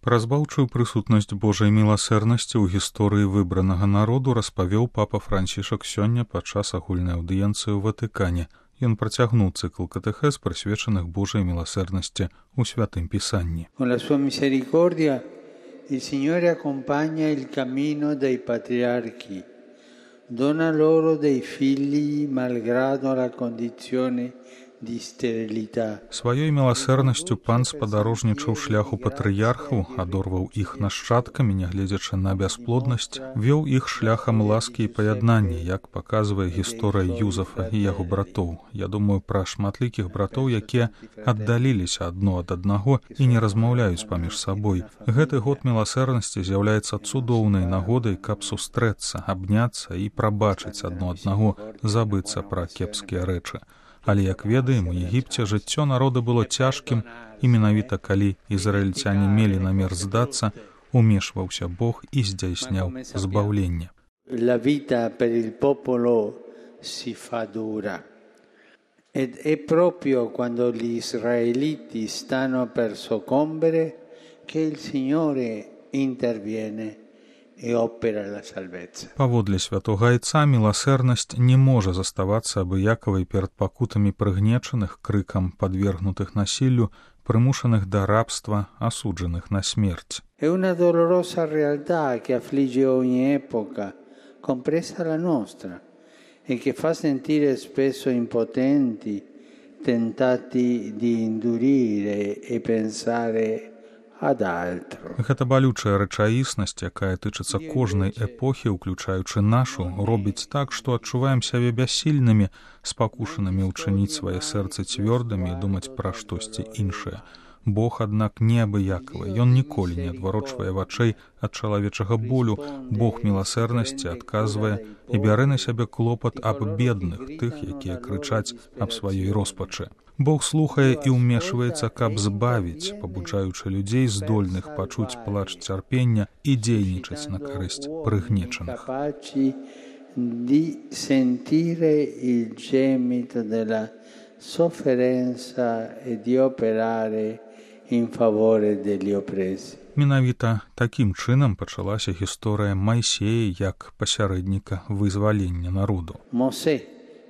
Пра збаўчую прысутнасць Божай міласэрнасці ў гісторыі выбранага народу распавёў папа Францішак сёння падчас агульнай аўдыенцыі ў Ватыкане. Ён працягнуў цыкл катэхез, прысвечаных Божай міласэрнасці ў Святым Пісанні. Con la sua misericordia il Signore accompagna il cammino dei patriarchi, dona loro dei figli malgrado la condizione di sterilità. Сваёй міласэрнасцю пан спадарожнічаў шляху патрыярхаў, адорваў іх нашчадкамі, нягледзячы на бясплоднасць, вёў іх шляхам ласкі і паяднання, як паказвае гісторыя Юзафа і яго братоў. Я думаю пра шматлікіх братоў, якія аддаліліся адно ад аднаго і не размаўляюць паміж сабой. Гэты год міласэрнасці з'яўляецца цудоўнай нагодай, каб сустрэцца, абняцца і прабачыць адно аднаго, забыцца пра кепскія рэчы. Але, як ведаем, у Егіпце жыццё народа было цяжкім, і менавіта калі ізраільцяне мелі намер здацца, умешваўся Бог і здзяйсняў збаўленне. La vita per il popolo si fa dura. Ed è proprio quando gli israeliti stanno per soccombere che il Signore interviene і опера ла сальвеція. Паводле святога айца міласэрнасць не можа заставацца абыякавай перад пакутамі прыгнечаных, крыкам падвергнутых насіллю, прымушаных да рабства, асуджаных на смерць. È una dolorosa realtà che affligge ogni epoca, compresa la nostra, e che fa sentire spesso impotenti, tentati di indurire e pensare ad altro. Гэта балючая рэчаіснасць, якая тычыцца кожнай эпохі, уключаючы нашу, робіць так, што адчуваем сябе бяссільнымі, спакушанымі ўчыніць свае сэрцы цвёрдымі і думаць пра штосьці іншае. Бог, аднак, неабыякавы. Ён ніколі не адварочвае вачэй ад чалавечага болю. Бог міласэрнасці адказвае і бярэ на сябе клопат аб бедных, тых, якія крычаць аб сваёй роспачы. Бог слухае і ўмешваецца, каб збавіць, пабуджаючы людзей, здольных пачуць плач цярпення і дзейнічаць на карысць прыгнечаных. Di sentire il gemito della sofferenza e di operare in favore degli oppressi. Менавіта такім чынам пачалася гісторыя Майсея як пасярэдніка вызвалення народу. Mosè,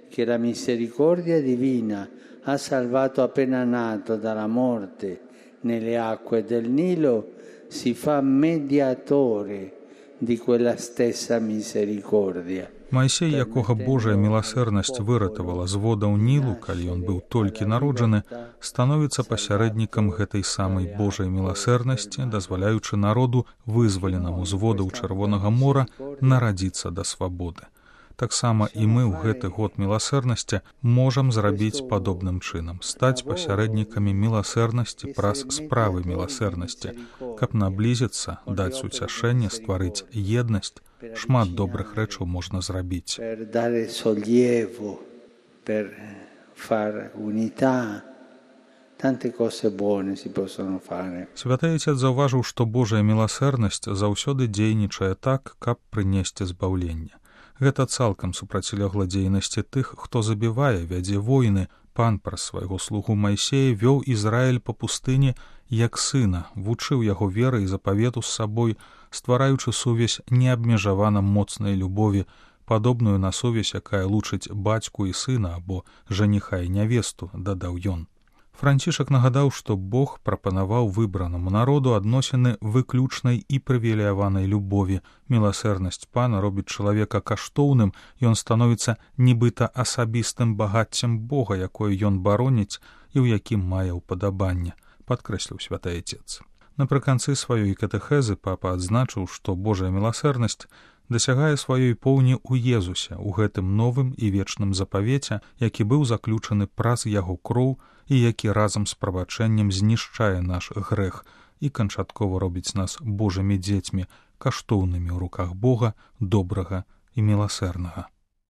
che la misericordia divina ha salvato appena nato dalla morte nelle acque del Nilo, si fa mediatore di quella stessa misericordia. Майсей, якога Божая міласэрнасць выратавала з водаў Нілу, калі ён быў толькі народжаны, становіцца пасярэднікам гэтай самай Божай міласэрнасці, дазваляючы народу, вызваленаму з водаў Чырвонага мора, нарадзіцца да свабоды. Таксама і мы ў гэты год міласэрнасці можам зрабіць падобным чынам, стаць пасярэднікамі міласэрнасці праз справы міласэрнасці, каб наблізіцца, даць уцяшэнне, стварыць еднасць. Шмат добрых рэчаў можна зрабіць. Per dare sollievo, per far unità, tante cose buone si possono fare. Святы Отец заўважыў, што Божая міласэрнасць заўсёды дзейнічае так, каб прынесці збаўленне. Гэта цалкам супрацьлегла дзейнасці тых, хто забівае, вядзе войны. Пан праз свайго слугу Майсея вёў Ізраіль па пустыні як сына, вучыў яго веры і запавету з сабой, ствараючы сувязь неабмежавана моцнай любові, падобную на сувязь, якая лучыць бацьку і сына або жаніха і нявесту, дадаў ён. Францішак нагадаў, што Бог прапанаваў выбранаму народу адносіны выключнай і прывілеяванай любові. Міласэрнасць пана робіць чалавека каштоўным, ён становіцца нібыта асабістым багаццем Бога, якое ён бароніць і ў якім мае ўпадабанне, падкрэсліў святы Отец. Напрыканцы сваёй катэхезы папа адзначыў, што Божая міласэрнасць дасягае сваёй поўні ў Езусе, у гэтым новым і вечным запавеце, які быў заключаны праз яго кроў і які разам з прабачэннем знішчае наш грэх і канчаткова робіць нас Божымі дзецьмі, каштоўнымі ў руках Бога, добрага і міласэрнага.